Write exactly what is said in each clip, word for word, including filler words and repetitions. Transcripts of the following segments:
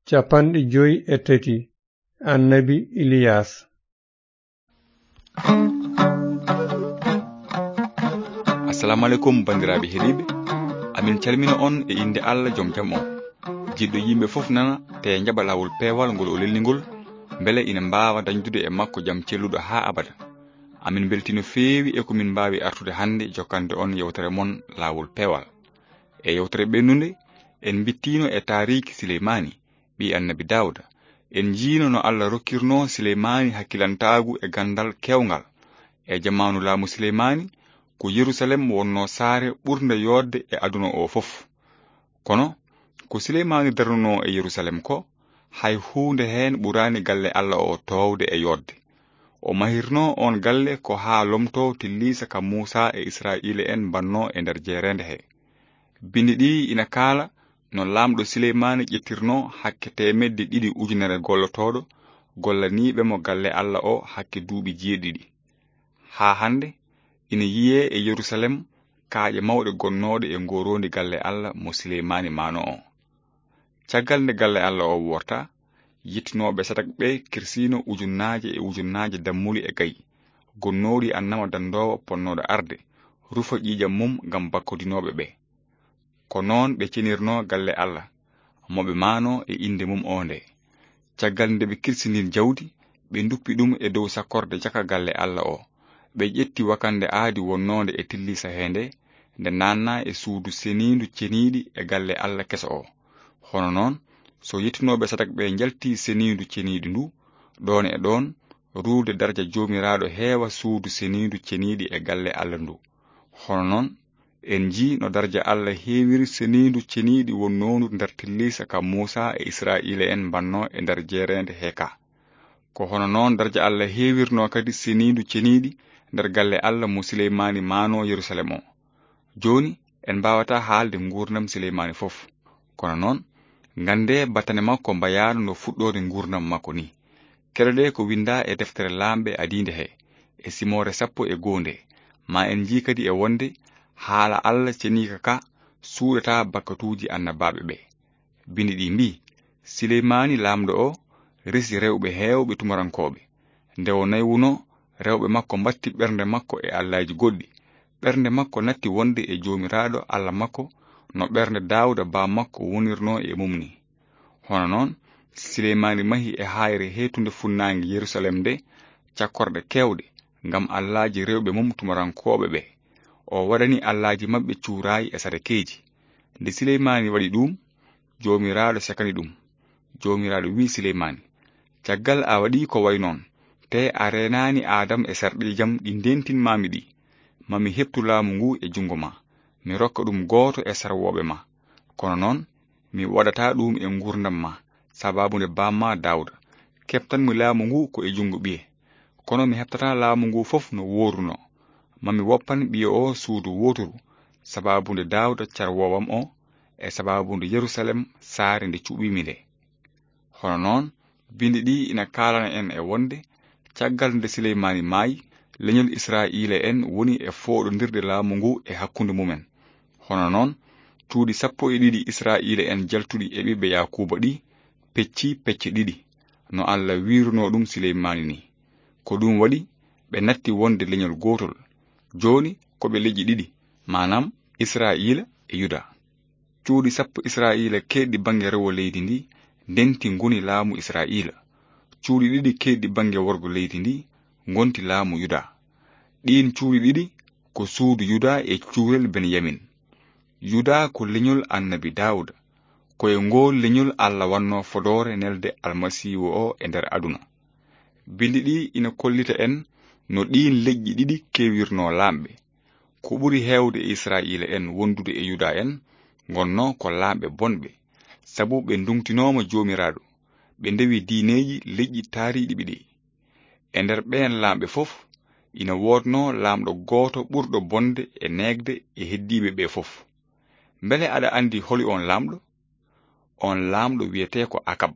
Cappanɗe joyi e tati. Annabi Iliyas. Assalamu alaikum, banndiraaɓe heɗiiɓe. Amin calmina on e innde Allah jom jam on. Jiɗɗo yimɓe fof nana, te jaɓa laawol peewal ngol o lelni ngol, mbele ina mbaawa dañdude e makko jam celluɗo haa abada. Amin mbeltii no feewi e ko min mbaawi artude hannde jokkande on yewtere mon laawol peewal. E yewtere ɓennunde, en mbittiino e taariiki Sileymaani, ɓii Annabi Daawda. En njiino no Allah rokkirnoo Sileymaani hakkilantaagu e ganndal keewngal. E jamaanu laamu Sileymaani, ko Yerusalem wonnoo saare ɓurnde yooɗde e aduna o fof. Kono, ko Sileymaani darnunoo e Yerusalem ko, hay huunde heen ɓuraani galle Allah o toowde e yooɗde. O mahirnoo oon galle ko haa lomtoo tilliisa ka Muusaa e Israa'iila en mbannoo e nder jeereende he. Binndi ɗi ina kaala no laamɗo Sileymaani ƴettirnoo hakke teemedde ɗiɗi ujunere gollotooɗo gollaniiɓe mo galle Allah o hakke duuɓi jeeɗiɗi. Haa hannde, ina yiyee e Yerusalem kaaƴe mawɗe gonnooɗe e ngooroondi galle Allah mo Sileymaani maanoo o. Caggal nde galle Allah o wortaa, yettinooɓe Sadak ɓe kirsiino ujunnaaje e ujunnaaje dammuli e gayi, gonnooɗi annama danndoowo ponnooɗo arde, rufa ƴiiƴam mum ngam bakkodinooɓe ɓe. Ko noon ɓe cenirnoo galle Allah, mo ɓe maanoo e innde mum o nde. Caggal nde ɓe kirsinii jawdi, ɓe nduppi ɗum e dow sakkorde caka galle Allah o. Ɓe ƴetti wakannde aadi wonnoonde e tilliisa he nde, nde naatnaa e suudu seniindu ceniiɗi e galle Allah keso o. Hono noon, so yettinooɓe Sadak ɓe njaltii seniindu ceniiɗi ndu, ɗoon e ɗoon, ruulde darja Joomiraaɗo heewa suudu seniindu ceniiɗi e galle Allah ndu. Hono noon, en njii no darja Allah heewiri seniindu ceniiɗi wonnoondu nder tilliisa ka Muusaa e Israa'iila en mbannoo e nder jeereende he ka. Ko hono noon darja Allah heewirnoo kadi seniindu ceniiɗi nder galle Allah mo Sileymaani maanoo Yerusalem o. Jooni, en mbaawataa haalde nguurndam Sileymaani fof. Kono noon, nganndee battane makko mbayaano no fuɗɗoode nguurndam makko ni. Keɗoɗee ko winndaa e deftere laamɓe adiinde he, e simoore sappo e goo nde. Ma en njii kadi e wonde haala Allah ceniika ka suuɗataa bakkatuuji annabaaɓe ɓe. Binndi ɗi mbii, Sileymaani laamɗo o resi rewɓe heewɓe tumarankooɓe. Nde o naywunoo, rewɓe makko mbatti ɓernde makko e allaaji goɗɗi. Ɓernde makko natti wonde e Joomiraaɗo Allah makko no ɓernde Daawda baa makko wonirnoo e mum ni. Hono noon, Sileymaani mahi e haayre heetunde funnaange Yerusalem nde cakkorɗe keewɗe ngam allaaji rewɓe mum tumarankooɓe ɓe. O waɗani allaaji maɓɓe cuuraay e sadakeeji. Nde Sileymaani waɗi ɗum, Joomiraaɗo sekani ɗum. Joomiraaɗo wi'i Sileymaani, caggal a waɗii ko wayi noon, tee a reenaani aadam e sarɗiijam ɗi ndeentinmaami ɗi, ma mi heɓtu laamu ngu e junngo ma, mi rokka ɗum gooto e sarwooɓe ma. Kono noon, mi waɗataa ɗum e nguurndam ma, sabaabu nde baammaa Daawda. Keɓtanmi laamu ngu ko e junngo ɓiye. Kono mi heɓtataa laamu ngu fof no woorunoo. Ma mi woppan ɓiye o suudu wooturu, sabaabu nde Daawda carwoowam o, e sabaabu nde Yerusalem saare nde cuɓiimi nde. Hono noon, binndi ɗi ina kaalana en e wonde, caggal nde Sileymaani maayi, leñol Israa'iila en woni e fooɗondirde laamu ngu e hakkunde mumen. Hono noon, cuuɗi sappo e ɗiɗi Israa'iila en jaltuɗi e ɓiɓɓe Yaakuuba ɗi pecci pecce ɗiɗi, no Allah wiirunoo ɗum Sileymaani ni. Ko ɗum waɗi ɓe natti wonde leñol gootol. Jooni ko ɓe leƴƴi ɗiɗi, maanaam Israa'iila e Yuda. Cuuɗi sappo Israa'iila keedɗi bannge rewo leydi ndi ndenti ngoni laamu Israa'iila. Cuuɗi ɗiɗi keedɗi bannge worgo leydi ndi ngonti laamu Yuda. Ɗiin cuuɗi ɗiɗi ko suudu Yuda e cuurel Benyamin. Yuda ko leñol Annabi Daawuda. Ko e ngool leñol Allah wannoo fodoore nelde Almasiihu o e nder aduna. Binndi ɗi ina kollita en no ɗiin leƴƴi ɗiɗi keewirnoo laamɓe. Ko ɓuri heewde e Israa'iila en wondude e Yuda en ngonnoo ko laamɓe bonɓe, sabu ɓe nduŋtinooma Joomiraaɗo, ɓe ndewi diineeji leƴƴi taariiɗi ɓe ɗi. E nder ɓeen laamɓe fof, ina woodnoo laamɗo gooto ɓurɗo bonde e neegde e heddiiɓe ɓe fof. Mbele aɗa anndi holi oon laamɗo? Oon laamɗo wiyetee ko Akab.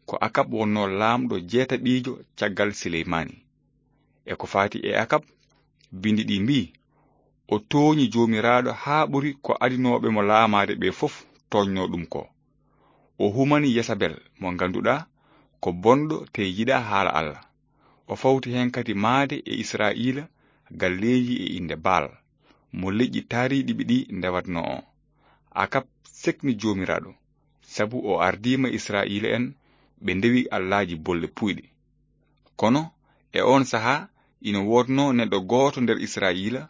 Ko Akab wonnoo laamɗo jeetaɓiijo caggal Sileymaani. E ko faati e Akab, binndi ɗi mbii, o tooñi Joomiraaɗo haa ɓuri ko adinooɓe mo laamaade ɓe fof tooñnoo ɗum ko. O humani Yesabel mo ngannduɗaa ko bonɗo te yiɗaa haala Alla. O fawti heen kadi maayde e Israa'iila galleeji e innde Baal, mo leƴƴi taariiɗi ɗi ndewatnoo o. Akab sekni Joomiraaɗo, sabu o ardiima Israa'iila'en ɓe ndewi allaaji bolle puyɗi. Kono e oon sahaa ina woodnoo neɗɗo gooto nder Israa'iila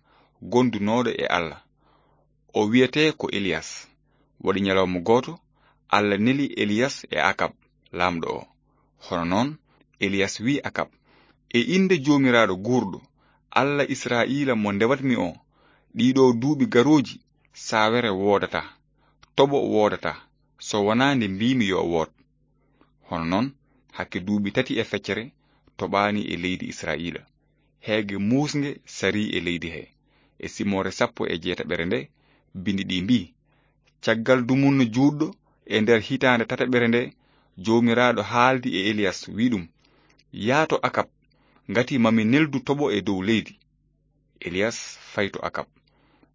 gondunooɗo e Alla. O wiyetee ko Eliyas. Waɗi ñalawma gooto, Alla neli Eliyas e Akab, laamɗo o. Hono noon, Eliyas wiyi Akab, "E innde Joomiraaɗo guurɗo, Alla Israa'iila mo ndewatmi o, ɗiɗo duuɓi garooji, saawere woodataa, toɓo woodataa, so wonaa nde mbiimi yo wood." Hono noon, hakke duuɓi tati e feccere toɓaani e leydi Israa'iila. Heege muusnge sarii e leydi he. E simoore sappo e jeetaɓere nde, binndi ɗi mbii, "Caggal dumunna juutɗo e nder hitaande tataɓere nde, Joomiraaɗo haaldi e Eliyas, wi'i ɗum, 'Yaa to Akab, ngati mami neldu toɓo e dow leydi.'" Eliyas fayi to Akab.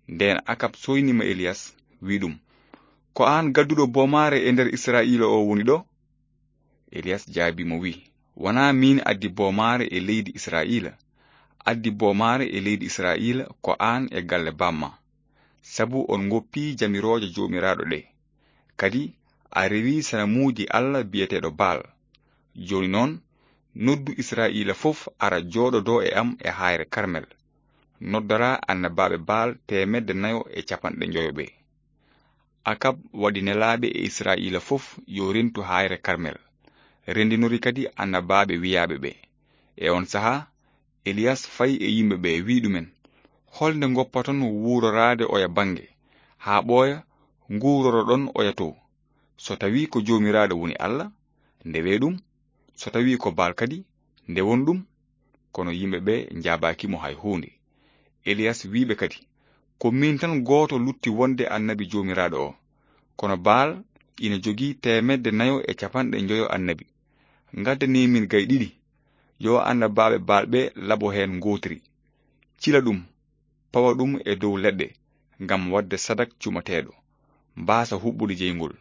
Ndeen Akab sooynima Eliyas, wi'i ɗum, "Ko aan gadduɗo boomaare e nder Israa'iila o woni ɗo?" Eliyas jaabii mo, wi'i, "Wonaa miin addi boomaare e leydi Israa'iila. Addi boomaare e leydi Israa'iila ko aan e galle baam maa, sabu on ngoppii jamirooje Joomiraaɗo ɗe. Kadi a rewii sanamuuji Alla biyeteeɗo Baal. Jooni noon, noddu Israa'iila fof ara jooɗodoo e am e haayre Karmel. Noddoraa annabaaɓe Baal teemedde nayo e capanɗe njoyo ɓe." Akab waɗi nelaaɓe e Israa'iila fof yo rentu haayre Karmel. Renndinori kadi annabaaɓe wiyaaɓe ɓe. E oon sahaa, Eliyas fayi e yimɓe ɓe, wi'i ɗumen, "Holnde ngoppaton wuuroraade oya bannge, haa ɓooya nguuroroɗon oya to? So tawii ko Joomiraaɗo woni Alla, ndewee ɗum. So tawii ko Baal kadi, ndewon ɗum." Kono yimɓe ɓe njaabaaki mo hay huunde. Eliyas wi'i ɓe kadi, "Ko miin tan gooto lutti wonde annabi Joomiraaɗo o. Kono Baal ina jogii teemedde nayo e capanɗe njoyo annabi. Ngaddanii min gay ɗiɗi. Yo annabaaɓe Baal ɓe labo heen ngootiri. Cila ɗum, pawa ɗum e dow leɗɗe ngam waɗde sadak cumateeɗo, mbaasa huɓɓude jeyngol.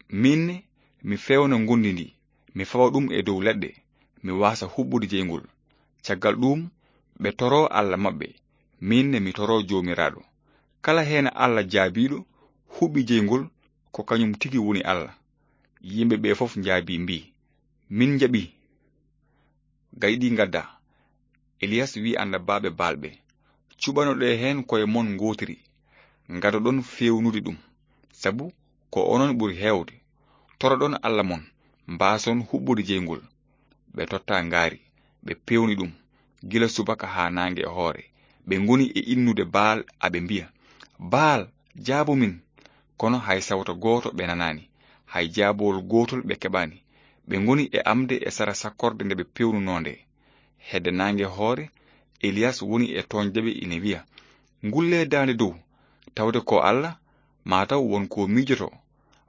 Miin ne, mi feewna ngonndi ndi, mi fawa ɗum e dow leɗɗe, mi waasa huɓɓude jeyngol. Caggal ɗuum, ɓe toroo Alla maɓɓe, miin ne mi toroo Joomiraaɗo. Kala heen Alla jaabiiɗo huɓɓi jeyngol, ko kañum tigi woni Alla." Yimɓe ɓe fof njaabii mbii, "Min njaɓii." Gayɗi ngadda. Eliyas wi'i annabaaɓe Baal ɓe, "Cuɓanoɗee heen koye mon ngootiri, ngadoɗon feewnude ɗum, sabu ko onon ɓuri heewde. Toroɗon Alla mon, mbaason huɓɓude jeyngol." Ɓe totta ngaari, ɓe peewni ɗum, gila subaka haa naange e hoore. Ɓe ngoni e innude Baal, aɓe mbiya, "Baal, jaabu min!" Kono hay sawto gooto ɓe nanaani, hay jaabowol gootol ɓe keɓaani. Ɓe ngoni e amde e sara sakkorde nde ɓe peewnunoo nde. Hedde naange hoore, Eliyas woni e tooñde ɓe ina wiya, "Ngullee daande dow, tawde ko Alla, maa taw won ko miijoto,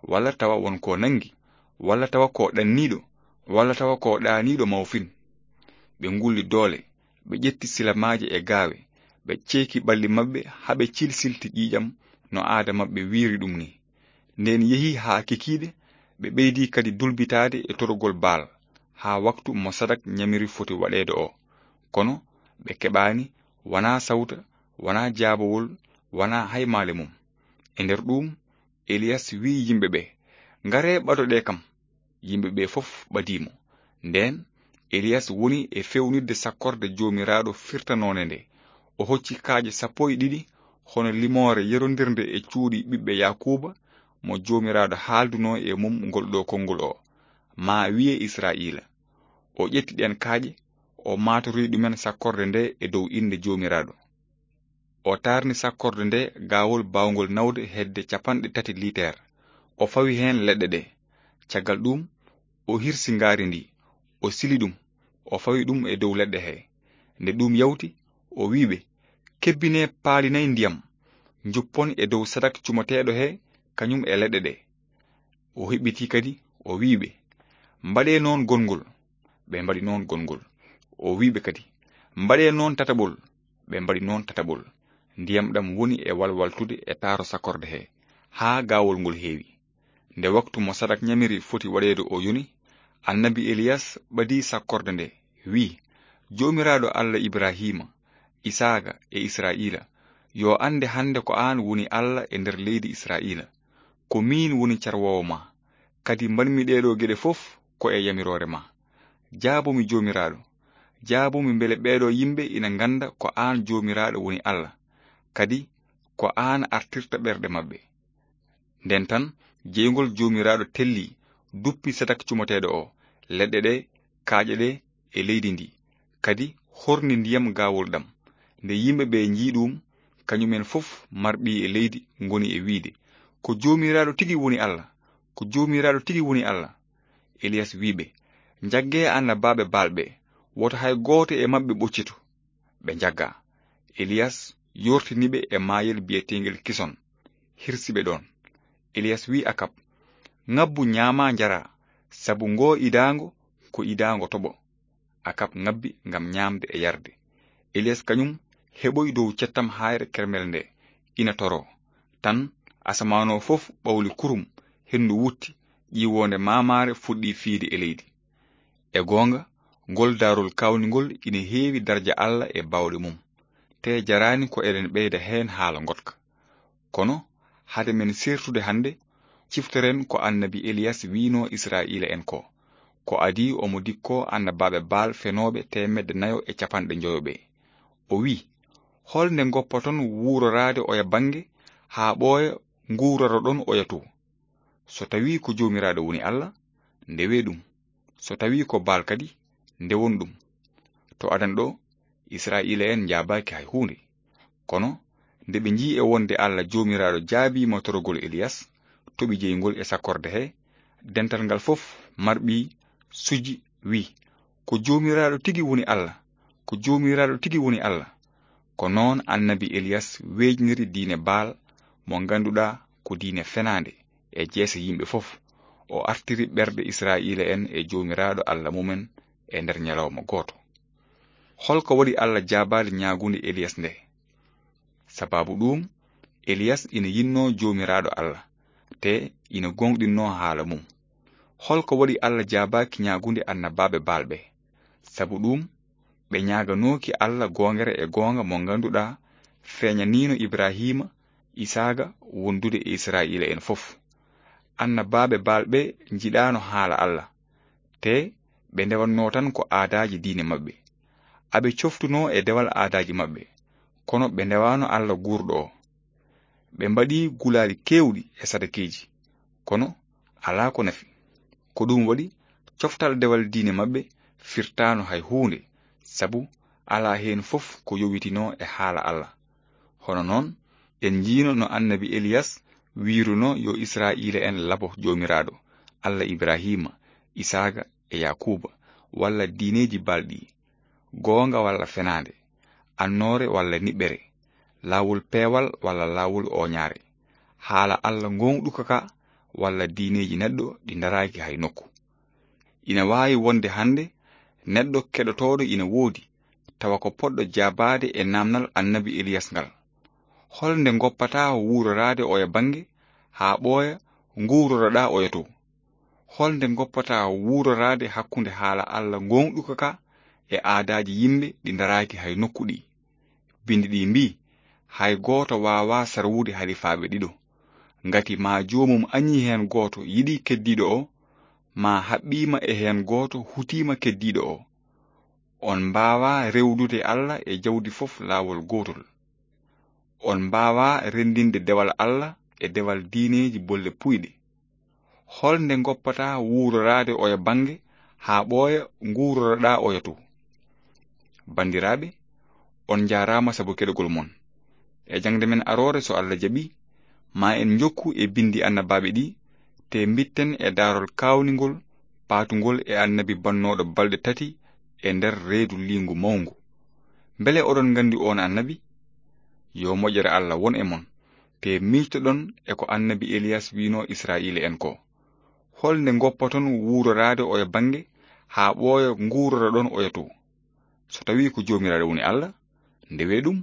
walla tawa won ko nanngi, walla tawa ko ɗanniiɗo, walla tawa ko ɗaaniiɗo mawfin." Ɓe ngulli doole, ɓe ƴetti silamaaje e gaawe, ɓe ceeki ɓalli maɓɓe haa ɓe cilsilti ƴiiƴam no aada maɓɓe wiiri ɗum ni. Ndeen yehi haa kikiiɗe, ɓe ɓeydi kadi dulbitaade e torogol Baal, haa waktu mo sadak ñamiri foti waɗeede o. Kono ɓe keɓaani wanaa sawta, wanaa jaabowol, wanaa hay maale mum. E nder ɗuum, Eliyas wi'i yimɓe ɓe, "Ngaree ɓadoɗee kam." Yimɓe ɓe fof ɓadii mo. Ndeen, Eliyas woni e feewnitde sakkorde Joomiraaɗo firtanoonde nde. O hocci kaaƴe sappo e ɗiɗi, hono limoore yerondirnde e cuuɗi ɓiɓɓe Yaakuuba, mo Joomiraaɗo haaldunoo e mum ngol ɗo konngol o, maa wiye Israa'iila. O ƴetti ɗeen kaaƴe, o maatorii ɗumen sakkorde nde e dow innde Joomiraaɗo. O taarni sakkorde nde gaawol baawngol nawde hedde capanɗe tati liiter. O fawi heen leɗɗe ɗe. Caggal ɗuum, o hirsi ngaari ndi, o sili ɗum, o fawi ɗum e dow leɗɗe he. Nde ɗum yawti, o wi'i ɓe, "Kebbinee paalinay ndiyam, njuppon e dow sadak cumateeɗo he, kañum e leɗɗe ɗe." O hiɓɓitii kadi, o wi'i ɓe, "Mbaɗee noon gonngol." Ɓe mbaɗi noon gonngol. O wi'i ɓe kadi, "Mbaɗee noon tataɓol." Ɓe mbaɗi noon tataɓol. Ndiyam ɗam woni e walwaltude e taaro sakkorde he, haa gaawol ngol heewi. Nde waktu mo Sadak ɲamiri foti waɗeede o yoni, annabi Eliyas ɓadi sakkorde nde, wi'i, "Joomiraaɗo Allah Ibrahiima, Isaaga e Israa'iila, yo annde hannde ko aan woni Allah e nder leydi Israa'iila. Ko miin woni carwoowo ma, kadi mbaɗmi ɗeeɗoo geɗe fof ko e yamiroore ma. Jaabomi Joomiraaɗo, jaabomi mbele ɓeeɗoo yimɓe ina ngannda ko aan Joomiraaɗo woni Allah, kadi ko aan artirta ɓerɗe maɓɓe." Nden tan, jeyngol Joomiraaɗo telli, duppi Sadak cumoteeɗo o, leɗɗe ɗe, kaaƴe ɗe e leydi ndi, kadi horni ndiyam gaawol ɗam. Nde yimɓe ɓe njii ɗum, kañumen fof marɓi e leydi ngoni e wi'de, "Ko Joomiraaɗo tigi woni Allah! Ko Joomiraaɗo tigi woni Allah!" Eliyas wi'i ɓe, "Njaggee annabaaɓe Baal ɓe, woto hay gooto e maɓɓe ɓoccito." Ɓe njaggaa. Eliyas yortini ɓe e maayel biyeteengel Kison, hirsi ɓe ɗoon. Eliyas wi'i Akab, "Ŋabbu, ɲaamaa, njaraa, sabu ngoo idaango ko idaango toɓo." Akab ŋabbi ngam ɲaamde e yarde. Eliyas kañum heɓoyi dow cettam haayre Kermel nde, ina toroo. Tan, asamaan o fof ɓawli kurum, henndu wutti, ƴiwoonde maamaare fuɗɗi fiyde e leydi. E goonga, ngol daarol kaawningol ina heewi darja Allah e baawɗe mum, tee jaraani ko eɗen ɓeyda heen haala ngoɗka. Kono, hade men seertude hannde, ciftoren ko annabi Eliyas wi'noo Israa'iila'en ko, ko adii omo dikkoo annabaaɓe Baal fenooɓe teemedde nayo e capanɗe njoyo ɓe. O wi'i, "Hol nde ngoppaton wuuroraade oya bannge haa ɓooya nguuroraɗon oya too? So tawii ko Joomiraaɗo woni Allah, ndewee ɗum. So tawii ko Baal kadi, ndewon ɗum." To adan ɗo, Israa'iila'en njaabaaki hay huunde. Kono nde ɓe njii e wonde Allah Joomiraaɗo jaabiima torogol Eliyas, toɓi jeyngol e sakkorde he, dental ngal fof marɓi suji, wi'i, "Ko Joomiraaɗo tigi woni Allah! Ko Joomiraaɗo tigi woni Allah!" Ko noon annabi Eliyas weejniri diine Baal, mo ngannduɗaa ko diine fenaande, e jeese yimɓe fof. O artiri ɓerɗe Israa'iila'en e Joomiraaɗo Allah mumen e nder ñalawma gooto. Hol ko waɗi Allah jaabaali ñaagunde Eliyas nde? Sababu ɗuum, Eliyas ina yinnoo Joomiraaɗo Allah, te ina gooŋɗinnoo haala mum. Hol ko waɗi Allah jaabaaki ñaagunde annabaaɓe Baal ɓe? Sabu ɗuum, ɓe ñaaganooki Allah goongere e goonga mo ngannduɗaa feeñaniino Ibrahiima, Isaaga wondude e Israa'iila'en fof. Annabaaɓe Baal ɓe njiɗaano haala Allah, te ɓe ndewannoo tan ko aadaaji diine maɓɓe. Aɓe coftunoo e dewal aadaaji maɓɓe, kono ɓe ndewaano Allah guurɗo o. Ɓe mbaɗi gulaali keewɗi e sadakeeji, kono alaa ko nafi. Ko ɗum waɗi, coftal dewal diine maɓɓe firtaano hay huunde, sabu alaa heen fof ko yowitinoo e haala Allah. Hono noon, en njiino no annabi Eliyas wiirunoo yo Israa'iila'en labo Joomiraaɗo, Allah Ibrahiima, Isaaga e Yaakuuba, walla diineeji Baal ɗi, goonga walla fenaande, annoore walla niɓɓere, laawol peewal walla laawol ooñaare, haala Allah ngooŋɗuka ka walla diineeji neɗɗo ɗi ndaraaki hay nokku. Ina waawi wonde hannde neɗɗo keɗotooɗo ina woodi, tawa ko poɗɗo jaabaade e naamnal annabi Eliyas ngal. Hol nde ngoppataa wuuroraade oya bannge haa ɓooya nguuroroɗaa oya too? Hol nde ngoppataa wuuroraade hakkunde haala Allah ngooŋɗuka ka e aadaaji yimɓe ɗi ndaraaki hay nokku ɗi? Binndi ɗi mbii, "Hay gooto waawaa sarwude halifaaɓe ɗiɗo. Ngati maa joomum añii heen gooto yiɗi keddiiɗo o, maa haɓɓiima e heen gooto hutiima keddiiɗo o. On mbaawaa rewdude Allah e jawdi fof laawol gootol. On mbaawaa renndinde dewal Allah e dewal diineeji bolle puyɗe. Hol nde ngoppataa wuuroraade oya bannge haa ɓooya nguuroroɗaa oya too?" Banndiraaɓe, on njaaraama sabu keɗogol mon. E jaŋde men aroore, so Allah jaɓi, maa en njokku e binndi annabaaɓe ɗi, te mbitten e daarol kaawningol, paatungol e annabi bannooɗo balɗe tati e nder reedu liingu mawngu. Mbele oɗon nganndi oon annabi? Yo moƴƴere Allah won e mon, te miijtoɗon e ko annabi Eliyas wi'noo Israa'iila'en ko. Hol nde ngoppaton wuuroraade oya bannge haa ɓooya nguuroroɗon oya too? So tawii ko Joomiraaɗo woni Allah, ndewee ɗum.